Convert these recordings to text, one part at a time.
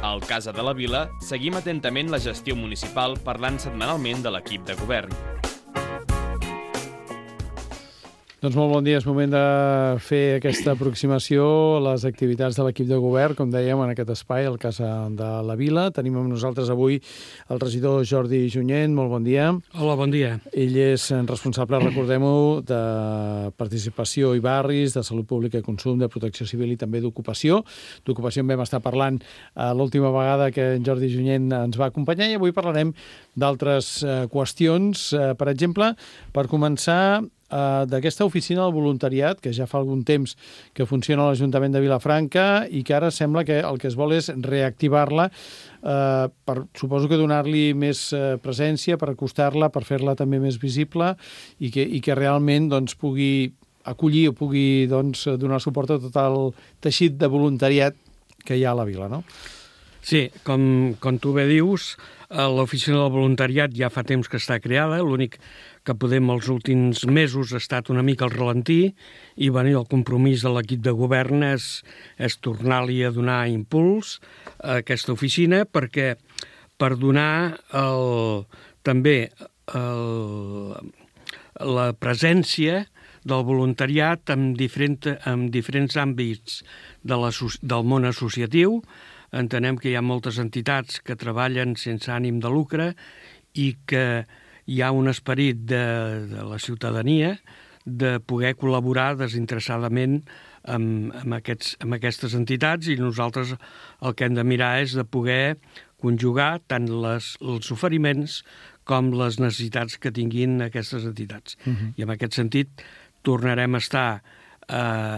Al Casa de la Vila seguim atentament la gestió municipal parlant setmanalment de l'equip de govern. Doncs molt bon dia, és moment de fer aquesta aproximació a les activitats de l'equip de govern, com dèiem, en aquest espai, al Casa de la Vila. Tenim amb nosaltres avui el regidor Jordi Junyent. Molt bon dia. Hola, bon dia. Ell és responsable, recordem-ho, de participació i barris, de salut pública i consum, de protecció civil i també d'ocupació. D'ocupació en vam estar parlant l'última vegada que en Jordi Junyent ens va acompanyar i avui parlarem d'altres qüestions. Per exemple, per començar, d'aquesta oficina del voluntariat, que ja fa algun temps que funciona a l'Ajuntament de Vilafranca i que ara sembla que el que es vol és reactivar-la suposo que donar-li més presència, per acostar-la, per fer-la també més visible i que realment pugui acollir o pugui donar suport a tot el teixit de voluntariat que hi ha a la vila, no? Sí, com tu bé dius, l'oficina del voluntariat ja fa temps que està creada, l'únic que podem els últims mesos ha estat una mica al ralentí i el compromís de l'equip de govern és tornar-li a donar impuls a aquesta oficina per donar també la presència del voluntariat en diferents àmbits del món associatiu. Entenem que hi ha moltes entitats que treballen sense ànim de lucre i que hi ha un esperit de la ciutadania de poder col·laborar desinteressadament amb aquestes entitats i nosaltres el que hem de mirar és de poder conjugar tant els oferiments com les necessitats que tinguin aquestes entitats. I en aquest sentit tornarem a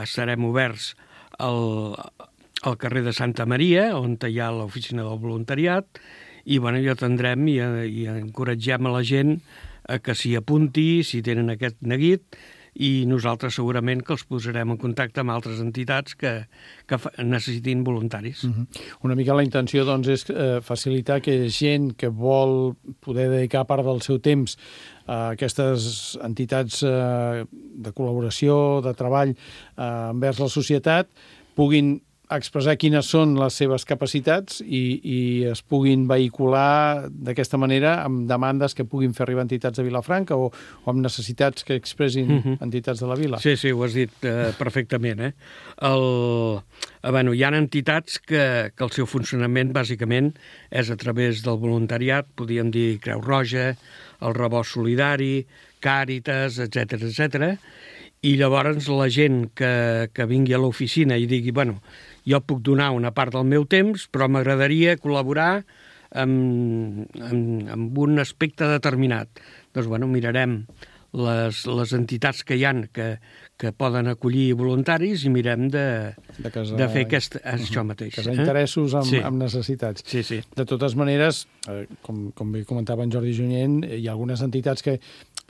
estarem oberts al carrer de Santa Maria, on hi ha l'oficina del voluntariat, i hi atendrem i encoratgem a la gent que s'hi apunti, si tenen aquest neguit, i nosaltres segurament que els posarem en contacte amb altres entitats que necessitin voluntaris. Una mica la intenció és facilitar que gent que vol poder dedicar part del seu temps a aquestes entitats de col·laboració, de treball envers la societat, puguin expressar quines són les seves capacitats i es puguin vehicular d'aquesta manera amb demandes que puguin fer arribar entitats de Vilafranca o amb necessitats que expressin entitats de la vila. Sí, ho has dit perfectament. Hi ha entitats que el seu funcionament bàsicament és a través del voluntariat, podríem dir Creu Roja, el Rebost Solidari, Càritas, etc. I llavors la gent que vingui a l'oficina i digui, jo puc donar una part del meu temps, però m'agradaria col·laborar amb un aspecte determinat. Doncs, mirarem les entitats que hi ha que poden acollir voluntaris i mirem de fer això mateix. Casar interessos amb necessitats. Sí. De totes maneres, com bé comentava en Jordi Junyent, hi ha algunes entitats que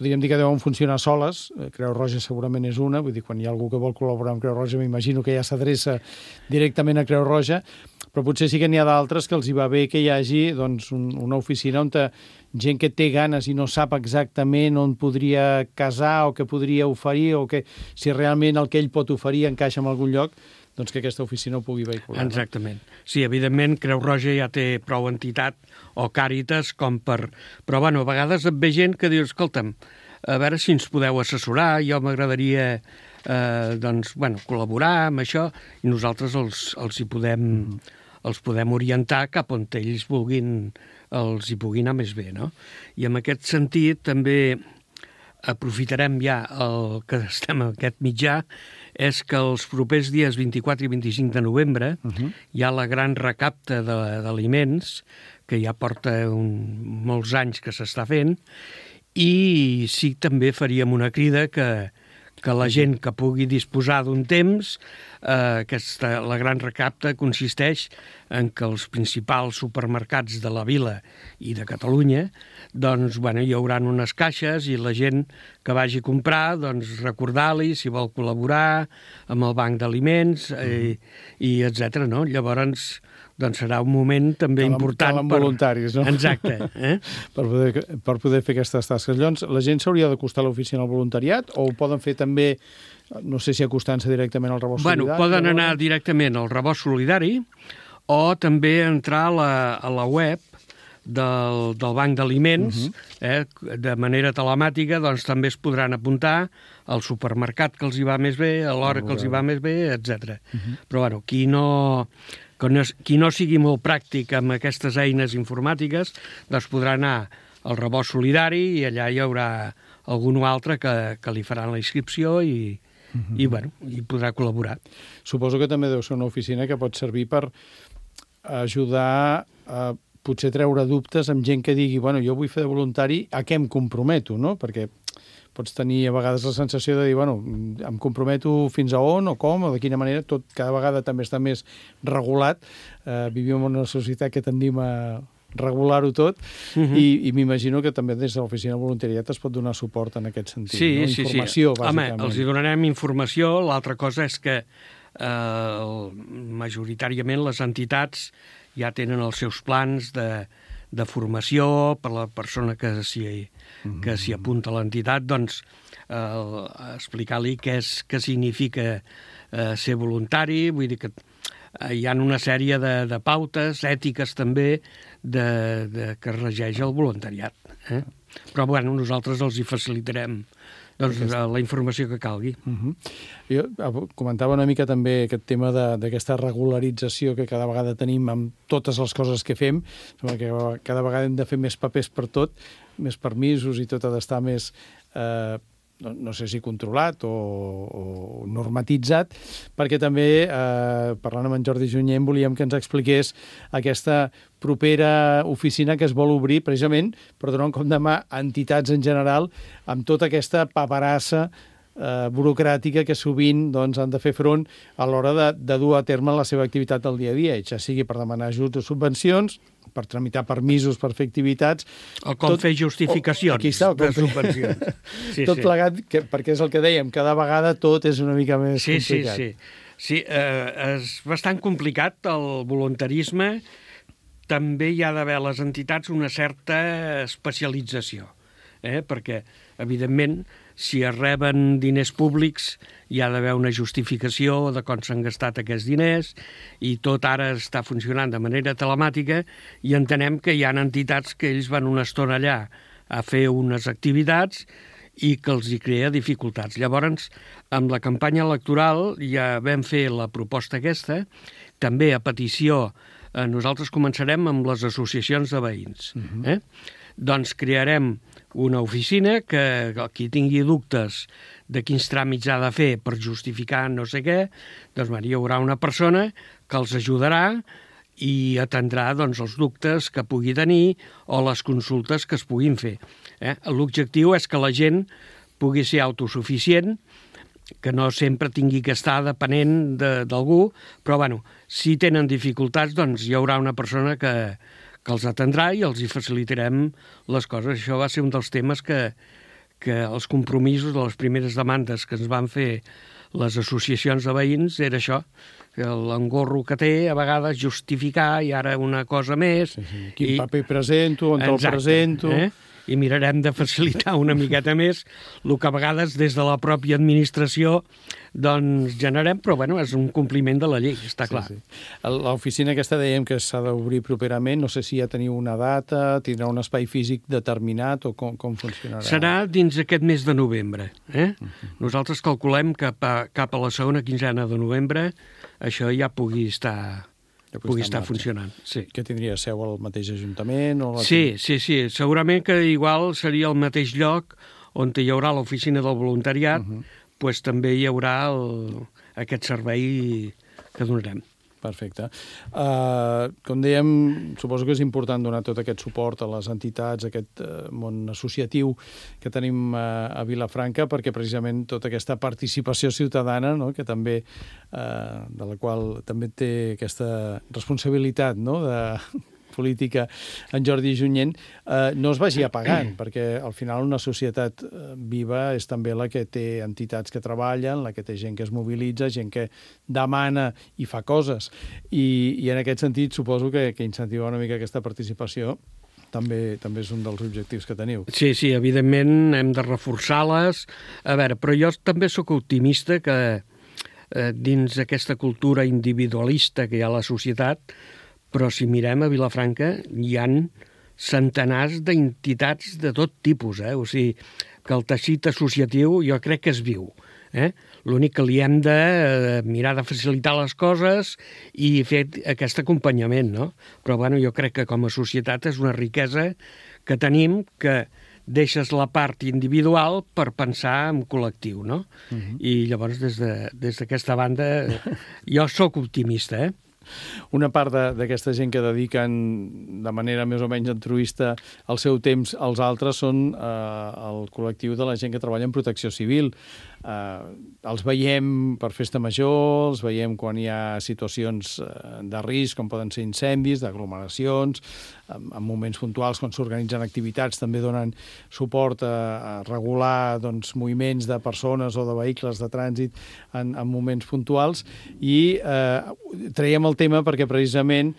podríem dir que deuen funcionar soles. Creu Roja segurament és una, vull dir, quan hi ha algú que vol col·laborar amb Creu Roja m'imagino que ja s'adreça directament a Creu Roja, però potser sí que n'hi ha d'altres que els hi va bé que hi hagi una oficina on gent que té ganes i no sap exactament on podria casar o què podria oferir o que si realment el que ell pot oferir encaixa en algun lloc, doncs que aquesta oficina ho pugui vehicular. Exactament. Sí, evidentment, Creu Roja ja té prou entitat o Càritas Però, a vegades et ve gent que diu, escolta'm, a veure si ens podeu assessorar, jo m'agradaria col·laborar amb això i nosaltres els podem orientar cap on ells els hi pugui anar més bé, no? I en aquest sentit també aprofitarem ja el que estem en aquest mitjà, és que els propers dies 24 i 25 de novembre hi ha la gran recapta d'aliments, que ja porta molts anys que s'està fent, i sí, també faríem una crida que la gent que pugui disposar d'un temps, la gran recapta consisteix en que els principals supermercats de la vila i de Catalunya, hi haurà unes caixes i la gent que vagi a comprar, recordar-li si vol col·laborar amb el banc d'aliments i etc. No? Llavors, serà un moment també important calen voluntaris, no? Exacte. Per poder fer aquestes tasques. Llavors, la gent s'hauria d'acostar a l'oficina del voluntariat o ho poden fer també, no sé si acostant-se directament al Rebost Solidari? Poden anar directament al Rebost Solidari o també entrar a la web del Banc d'Aliments, de manera telemàtica, doncs també es podran apuntar al supermercat que els hi va més bé, a l'hora que els hi va més bé, etc. Però, bueno, qui no sigui molt pràctic amb aquestes eines informàtiques, doncs podrà anar al Rebost Solidari i allà hi haurà algun altre que li faran la inscripció i podrà col·laborar. Suposo que també deu ser una oficina que pot servir per ajudar a potser treure dubtes amb gent que digui, bueno, jo vull fer de voluntari, a què em comprometo, no? Perquè pots tenir a vegades la sensació de dir, bueno, em comprometo fins a on o com o de quina manera, tot cada vegada també està més regulat. Vivim en una societat que tendim a regular-ho tot i m'imagino que també des de l'oficina de voluntariat es pot donar suport en aquest sentit. Sí, no? Informació, bàsicament. Home, els hi donarem informació. L'altra cosa és que majoritàriament les entitats ja tenen els seus plans de formació per la persona que s'hi apunta a l'entitat, doncs explicar-li què significa ser voluntari, vull dir que hi ha una sèrie de pautes ètiques també que regeix el voluntariat. Però bueno, nosaltres els hi facilitarem la informació que calgui. Jo comentava una mica també aquest tema d'aquesta regularització que cada vegada tenim amb totes les coses que fem. Sembla que cada vegada hem de fer més papers per tot, més permisos i tot ha d'estar més, no sé si controlat o normatitzat, perquè també, parlant amb en Jordi Junyent, volíem que ens expliqués aquesta propera oficina que es vol obrir precisament per donar un cop de mà a entitats en general amb tota aquesta paperassa burocràtica que sovint han de fer front a l'hora de dur a terme la seva activitat del dia a dia, ja sigui per demanar ajuts o subvencions, per tramitar permisos per fer activitats... O com fer justificacions de subvencions. Tot plegat, perquè és el que dèiem, cada vegada tot és una mica més complicat. Sí, és bastant complicat el voluntarisme. També hi ha d'haver a les entitats una certa especialització, perquè, evidentment, si es reben diners públics hi ha d'haver una justificació de com s'han gastat aquests diners i tot ara està funcionant de manera telemàtica i entenem que hi ha entitats que ells van una estona allà a fer unes activitats i que els hi crea dificultats. Llavors, amb la campanya electoral ja vam fer la proposta aquesta, també a petició. Nosaltres començarem amb les associacions de veïns. Doncs crearem una oficina que qui tingui dubtes de quins tràmits ha de fer per justificar no sé què, doncs hi haurà una persona que els ajudarà i atendrà els dubtes que pugui tenir o les consultes que es puguin fer. L'objectiu és que la gent pugui ser autosuficient, que no sempre tingui que estar depenent d'algú, però si tenen dificultats hi haurà una persona que els atendrà i els hi facilitarem les coses. Això va ser un dels temes que els compromisos de les primeres demandes que ens van fer les associacions de veïns era això, que l'engorro que té a vegades justificar i ara una cosa més. Quin paper presento, on el presento... I mirarem de facilitar una miqueta més el que a vegades des de la pròpia administració generem, però és un compliment de la llei, està clar. L'oficina aquesta dèiem que s'ha d'obrir properament, no sé si ja teniu una data, tindrà un espai físic determinat o com funcionarà? Serà dins aquest mes de novembre. Nosaltres calculem que cap a la segona quinzena de novembre això ja pugui estar funcionant. Sí. Que tindria seu al mateix ajuntament? Sí. Segurament que igual seria el mateix lloc on hi haurà l'oficina del voluntariat, doncs també hi haurà aquest servei que donarem. Perfecte. Com dèiem, suposo que és important donar tot aquest suport a les entitats, a aquest món associatiu que tenim a Vilafranca, perquè precisament tota aquesta participació ciutadana, no?, que també, de la qual també té aquesta responsabilitat, no?, de política en Jordi Junyent, no es vagi apagant, perquè al final una societat viva és també la que té entitats que treballen, la que té gent que es mobilitza, gent que demana i fa coses. I en aquest sentit suposo que incentivar una mica aquesta participació també és un dels objectius que teniu. Sí, evidentment hem de reforçar-les. A veure, però jo també sóc optimista que dins aquesta cultura individualista que hi ha a la societat però si mirem a Vilafranca hi han centenars d'entitats de tot tipus, o sigui, que el teixit associatiu jo crec que es viu. L'únic que li hem de mirar de facilitar les coses i fer aquest acompanyament, no? Però bueno, jo crec que com a societat és una riquesa que tenim, que deixes la part individual per pensar en col·lectiu, no? I llavors des d'aquesta banda jo sóc optimista, Una part d'aquesta gent que dediquen de manera més o menys altruista el seu temps als altres són el col·lectiu de la gent que treballa en protecció civil. Els veiem per festa major, els veiem quan hi ha situacions de risc, com poden ser incendis, d'aglomeracions, en moments puntuals, quan s'organitzen activitats, també donen suport a regular moviments de persones o de vehicles de trànsit en moments puntuals. I traiem el tema perquè precisament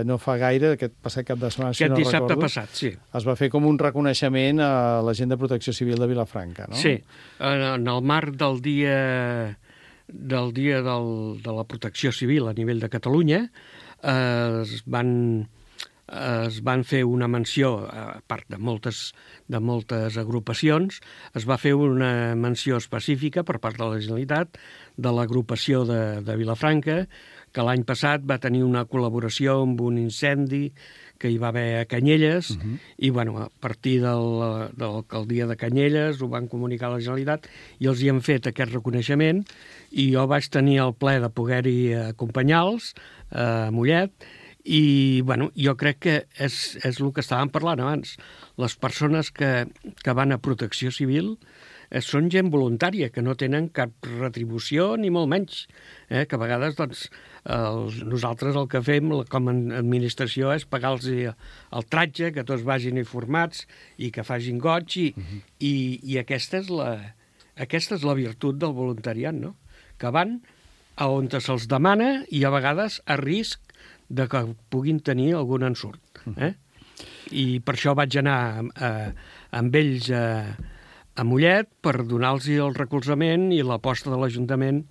no fa gaire, aquest passat cap de setmana, aquest dissabte passat, sí, es va fer com un reconeixement a la gent de Protecció Civil de Vilafranca, no? Sí, en el marc del dia de la protecció civil a nivell de Catalunya es van fer una menció, a part de moltes agrupacions, es va fer una menció específica per part de la Generalitat de l'agrupació de Vilafranca, que l'any passat va tenir una col·laboració amb un incendi que hi va haver a Canyelles, i bueno, a partir de l'alcaldia de Canyelles ho van comunicar a la Generalitat i els hi han fet aquest reconeixement, i jo vaig tenir el plaer de poder-hi acompanyar-los a Mollet. I bueno, jo crec que és el que estàvem parlant abans. Les persones que van a protecció civil són gent voluntària, que no tenen cap retribució ni molt menys, que a vegades nosaltres el que fem com a administració és pagar-los el tratge, que tots vagin informats i que facin goig, i aquesta és la virtut del voluntariat, no? Que van a on se'ls demana i a vegades a risc de que puguin tenir algun ensurt. I per això vaig anar amb ells a Mollet per donar-los el recolzament i l'aposta de l'Ajuntament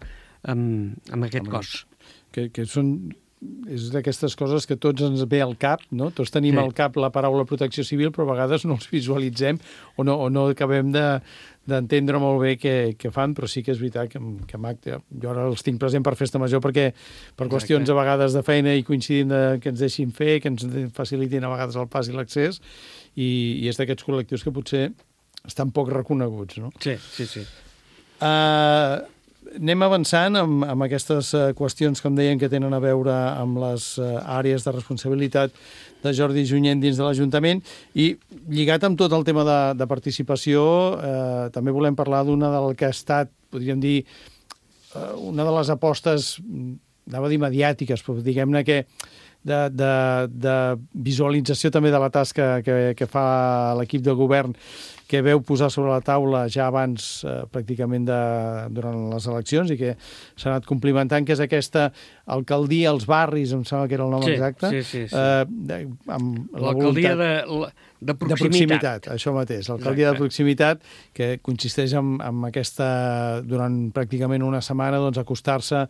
amb aquest cos. Que és d'aquestes coses que tots ens ve al cap, no? Tots tenim al cap la paraula protecció civil, però a vegades no els visualitzem o no acabem d'entendre molt bé què fan, però sí que és veritat que jo ara els tinc present per festa major perquè per qüestions a vegades de feina i coincidim que ens deixin fer, que ens facilitin a vegades el pas i l'accés, i és d'aquests col·lectius que potser estan poc reconeguts, no? Sí. Anem avançant amb aquestes qüestions, com deien, que tenen a veure amb les àrees de responsabilitat de Jordi Junyent dins de l'Ajuntament, i lligat amb tot el tema de participació, també volem parlar d'una del que ha estat, podríem dir, una de les apostes, anava a dir mediàtiques, però diguem-ne que de visualització també de la tasca que fa l'equip de govern, que veu posar sobre la taula ja abans pràcticament durant les eleccions i que s'ha anat complimentant, que és aquesta alcaldia als barris, em sembla que era el nom exacte. Sí. L'alcaldia de proximitat. Això mateix, l'alcaldia de proximitat, que consisteix en aquesta, durant pràcticament una setmana, acostar-se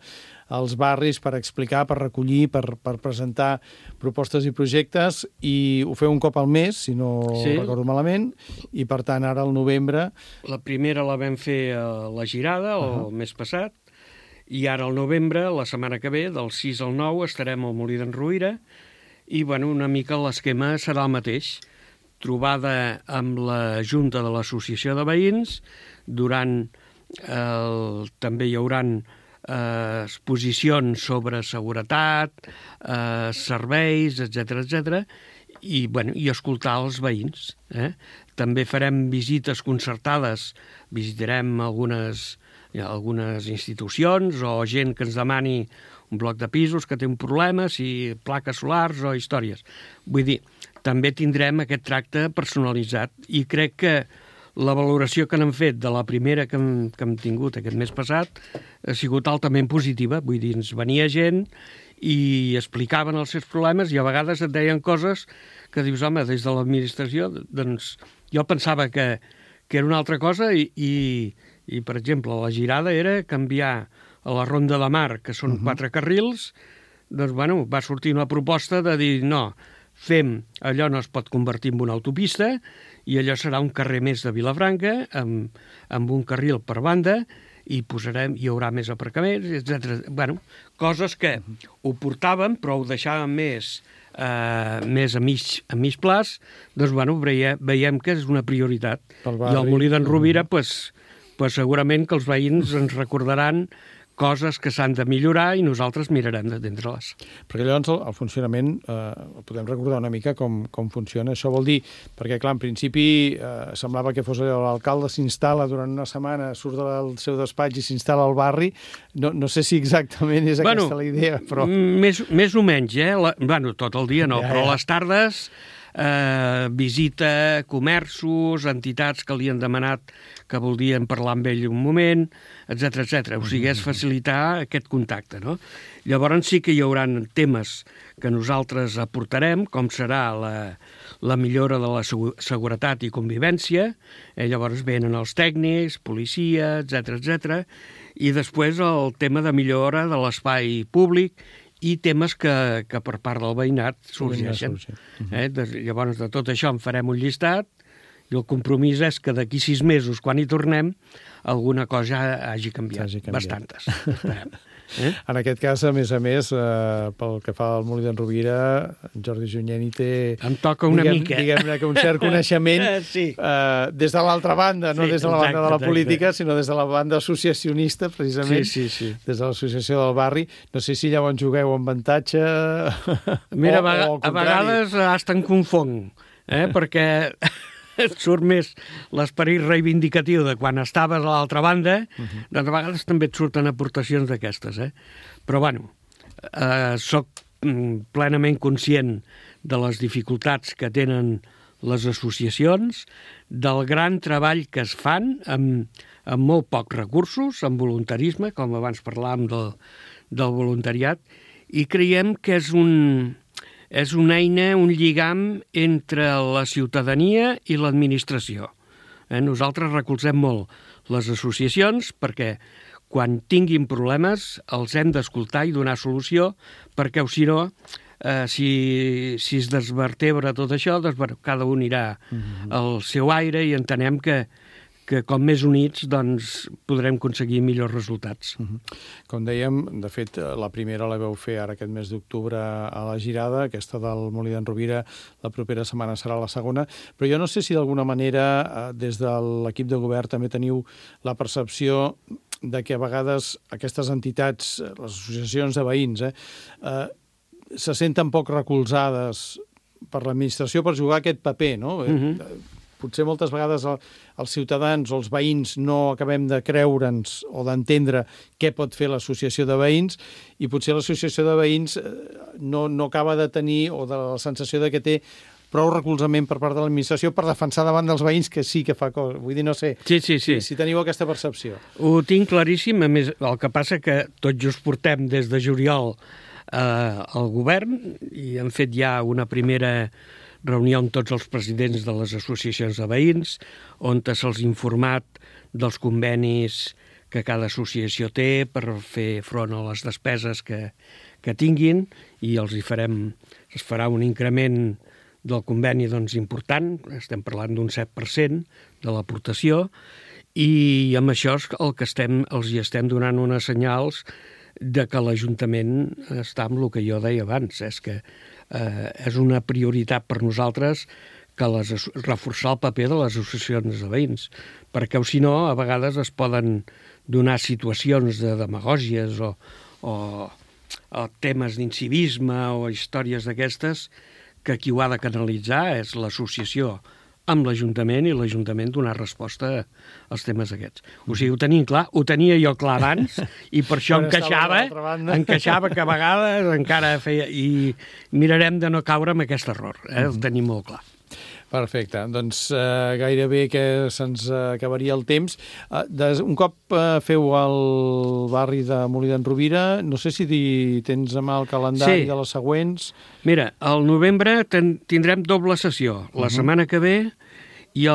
als barris per explicar, per recollir, per presentar propostes i projectes, i ho feu un cop al mes, si no recordo malament, i per tant ara al novembre... La primera la vam fer a la Girada el mes passat, i ara al novembre, la setmana que ve, del 6 al 9, estarem al Molí d'en Ruïra, i bueno, una mica l'esquema serà el mateix. Trobada amb la Junta de l'Associació de Veïns, també hi haurà exposicions sobre seguretat, serveis, etc, i escoltar els veïns. També farem visites concertades, visitarem algunes institucions o gent que ens demani un bloc de pisos que té un problema, si plaques solars o històries. Vull dir, també tindrem aquest tracte personalitzat, i crec que la valoració que n'hem fet de la primera que hem tingut aquest mes passat ha sigut altament positiva. Vull dir, ens venia gent i explicaven els seus problemes, i a vegades et deien coses que dius, home, des de l'administració, doncs jo pensava que era una altra cosa, i per exemple, la Girada era canviar a la Ronda de Mar, que són 4 carrils, doncs, bueno, va sortir una proposta de dir, no, allò no es pot convertir en una autopista i allò serà un carrer més de Vilafranca amb un carril per banda i hi haurà més aparcaments, etc. Bueno, coses que ho portàvem, però ho deixàvem més a mig plaç, doncs, bueno, veiem que és una prioritat. I al Molí d'en Rovira, pues, segurament que els veïns ens recordaran coses que s'han de millorar i nosaltres mirarem d'atendre-les. Perquè llavors el funcionament, podem recordar una mica com funciona. Això vol dir, perquè clar, en principi semblava que fos l'alcalde s'instal·la durant una setmana, surt del seu despatx i s'instal·la al barri. No sé si exactament és aquesta la idea, però... Més o menys, tot el dia no, però a les tardes visita comerços, entitats que li han demanat que voldrien parlar amb ell un moment, etc. O sigui, és facilitar aquest contacte, no? Llavors sí que hi haurà temes que nosaltres aportarem, com serà la millora de la seguretat i convivència, llavors venen els tècnics, policia, etc. I després el tema de millora de l'espai públic i temes que per part del veïnat sorgeixen. Llavors, de tot això en farem un llistat i el compromís és que d'aquí 6 mesos, quan hi tornem, alguna cosa hagi canviat. Bastantes. En aquest cas, a més, pel que fa al Molí d'en Rovira, Jordi Junyent hi té... Em toca una mica. Diguem-ne que un cert coneixement des de l'altra banda, no des de la banda de la política, sinó des de la banda associacionista, precisament, des de l'associació del barri. No sé si llavors jugueu amb avantatge Mira, a vegades hasta em confong, perquè et surt més l'esperit reivindicatiu de quan estaves a l'altra banda, doncs a vegades també et surten aportacions d'aquestes. Però, bueno, soc plenament conscient de les dificultats que tenen les associacions, del gran treball que es fan amb molt pocs recursos, amb voluntarisme, com abans parlàvem del voluntariat, i creiem que és una eina, un lligam entre la ciutadania i l'administració. Nosaltres recolzem molt les associacions perquè quan tinguin problemes els hem d'escoltar i donar solució, perquè si no, si es desvertebra tot això, doncs cada un irà al seu aire i entenem que com més units doncs, podrem aconseguir millors resultats. Com dèiem, de fet, la primera la vau fer ara aquest mes d'octubre a la Girada, aquesta del Molí d'en Rovira, la propera setmana serà la segona, però jo no sé si d'alguna manera des de l'equip de govern també teniu la percepció de que a vegades aquestes entitats, les associacions de veïns, se senten poc recolzades per l'administració per jugar aquest paper, no? Potser moltes vegades els ciutadans o els veïns no acabem de creure'ns o d'entendre què pot fer l'associació de veïns i potser l'associació de veïns no acaba de tenir o de la sensació de que té prou recolzament per part de l'administració per defensar davant dels veïns que sí que fa coses. Vull dir, no sé si teniu aquesta percepció. Ho tinc claríssim. A més, el que passa que tot just portem des de juliol al govern i hem fet ja una primera reunió amb tots els presidents de les associacions de veïns, on se'ls ha informat dels convenis que cada associació té per fer front a les despeses que tinguin i es farà un increment del conveni important, estem parlant d'un 7% de l'aportació, i amb això el que els hi estem donant unes senyals de que l'Ajuntament està amb el que jo deia abans, és que és una prioritat per nosaltres que reforçar el paper de les associacions de veïns, perquè si no, a vegades es poden donar situacions de demagògies o temes d'incivisme o històries d'aquestes que qui ho ha de canalitzar és l'associació amb l'Ajuntament i l'Ajuntament donar resposta als temes aquests. O sigui, ho tenim clar, ho tenia jo clar abans i per això encaixava que a vegades encara feia... I mirarem de no caure en aquest error, el tenim molt clar. Perfecte, doncs gairebé que se'ns acabaria el temps. Un cop feu el barri de Molí d'en Rovira, no sé si tens a mà el calendari de les següents. Mira, al novembre tindrem doble sessió. La setmana que ve i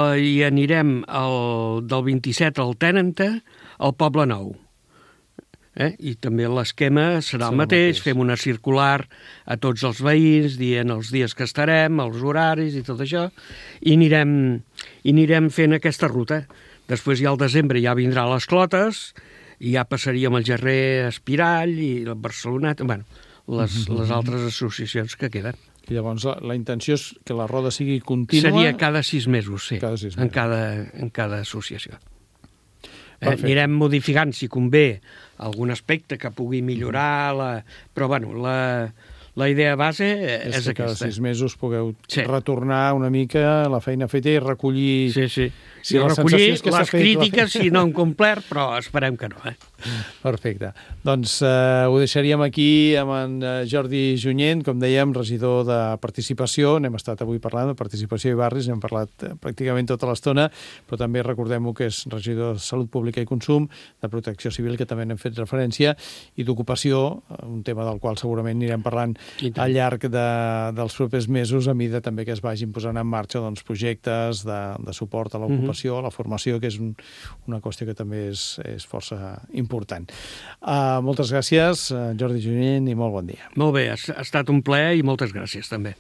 anirem del 27 al 30 al Poble Nou. I també l'esquema serà el mateix, fem una circular a tots els veïns, dient els dies que estarem, els horaris i tot això, i anirem fent aquesta ruta. Després ja al desembre ja vindrà les clotes, i ja passaríem el Gerrer Espirall i el Barcelonat, les altres associacions que queden. I llavors la intenció és que la roda sigui contínua? Seria cada 6 mesos, sí, cada 6 mesos. En cada associació. Anirem modificant, si convé, algun aspecte que pugui millorar, però la idea base és aquesta. Que cada 6 mesos pugueu retornar una mica la feina feta i recollir... Sí. I recollir les crítiques si no han complert, però esperem que no. Perfecte. Doncs ho deixaríem aquí amb en Jordi Junyent, com dèiem, regidor de Participació. N'hem estat avui parlant de Participació i Barris, n'hem parlat pràcticament tota l'estona, però també recordem-ho que és regidor de Salut Pública i Consum, de Protecció Civil, que també n'hem fet referència, i d'Ocupació, un tema del qual segurament anirem parlant al llarg dels propers mesos, a mida també que es vagin posant en marxa projectes de suport a l'ocupació, a la formació, que és una qüestió que també és força important. Moltes gràcies, Jordi Junyent, i molt bon dia. Molt bé, ha estat un plaer i moltes gràcies també.